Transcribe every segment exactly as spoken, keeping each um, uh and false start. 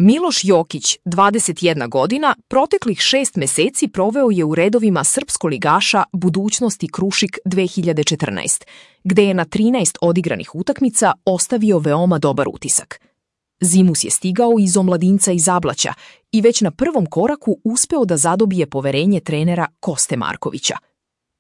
Miloš Jokić, dvadeset jedna godina, proteklih šest meseci proveo je u redovima srpskoligaša Budućnosti Krušik dve hiljade četrnaest, gde je na trinaest odigranih utakmica ostavio veoma dobar utisak. Zimus je stigao iz omladinca iz Zablaća i već na prvom koraku uspeo da zadobije poverenje trenera Koste Markovića.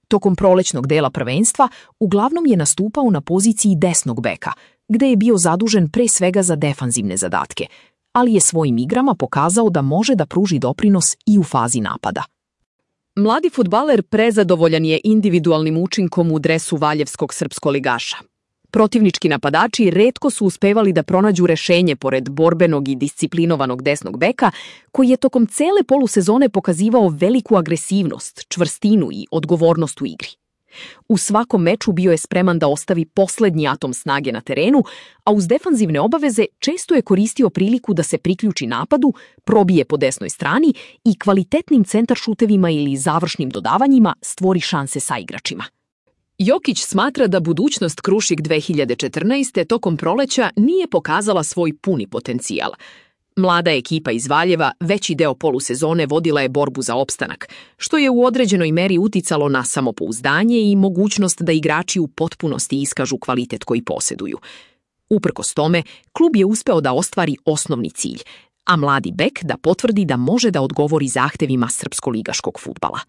Tokom prolećnog dela prvenstva uglavnom je nastupao na poziciji desnog beka, gde je bio zadužen pre svega za defanzivne zadatke, ali je svojim igrama pokazao da može da pruži doprinos i u fazi napada. Mladi fudbaler prezadovoljan je individualnim učinkom u dresu valjevskog srpskoligaša. Protivnički napadači retko su uspevali da pronađu rešenje pored borbenog i disciplinovanog desnog beka, koji je tokom cele polusezone pokazivao veliku agresivnost, čvrstinu i odgovornost u igri. U svakom meču bio je spreman da ostavi poslednji atom snage na terenu, a uz defanzivne obaveze često je koristio priliku da se priključi napadu, probije po desnoj strani i kvalitetnim centaršutevima ili završnim dodavanjima stvori šanse sa igračima. Jokić smatra da Budućnost Krušik dve hiljade četrnaest. tokom proleća nije pokazala svoj puni potencijal. Mlada ekipa iz Valjeva veći deo polusezone vodila je borbu za opstanak, što je u određenoj meri uticalo na samopouzdanje i mogućnost da igrači u potpunosti iskažu kvalitet koji poseduju. Uprkos tome, klub je uspeo da ostvari osnovni cilj, a mladi bek da potvrdi da može da odgovori zahtevima srpskoligaškog fudbala.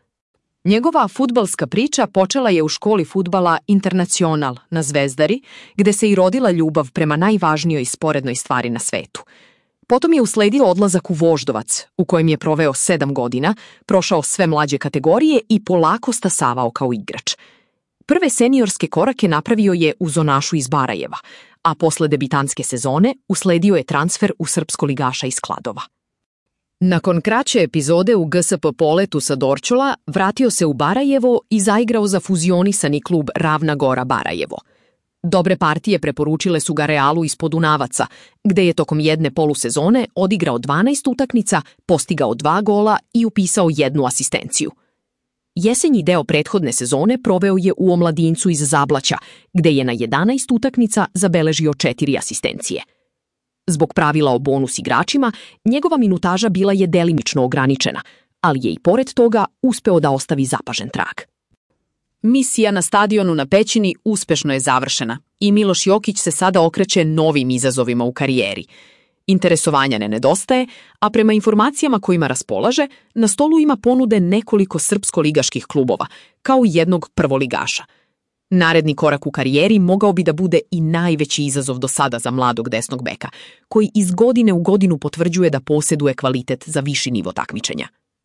Njegova fudbalska priča počela je u školi fudbala Internacional na Zvezdari, gde se i rodila ljubav prema najvažnijoj sporednoj stvari na svetu. Potom je usledio odlazak u Voždovac, u kojem je proveo sedam godina, prošao sve mlađe kategorije i polako stasavao kao igrač. Prve seniorske korake napravio je u Zonašu iz Barajeva, a posle debitanske sezone usledio je transfer u srpskoligaša iz Kladova. Nakon kraće epizode u G S P Poletu sa Dorćola, vratio se u Barajevo i zaigrao za fuzionisani klub Ravna Gora Barajevo. Dobre partije preporučile su ga Realu iz Podunavaca, gde je tokom jedne polusezone odigrao dvanaest utakmica, postigao dva gola i upisao jednu asistenciju. Jesenji deo prethodne sezone proveo je u omladincu iz Zablaća, gde je na jedanaest utakmica zabeležio četiri asistencije. Zbog pravila o bonus igračima, njegova minutaža bila je delimično ograničena, ali je i pored toga uspeo da ostavi zapažen trag. Misija na stadionu na Pećini uspešno je završena i Miloš Jokić se sada okreće novim izazovima u karijeri. Interesovanja ne nedostaje, a prema informacijama kojima raspolaže, na stolu ima ponude nekoliko srpskoligaških klubova, kao i jednog prvoligaša. Naredni korak u karijeri mogao bi da bude i najveći izazov do sada za mladog desnog beka, koji iz godine u godinu potvrđuje da poseduje kvalitet za viši nivo takmičenja.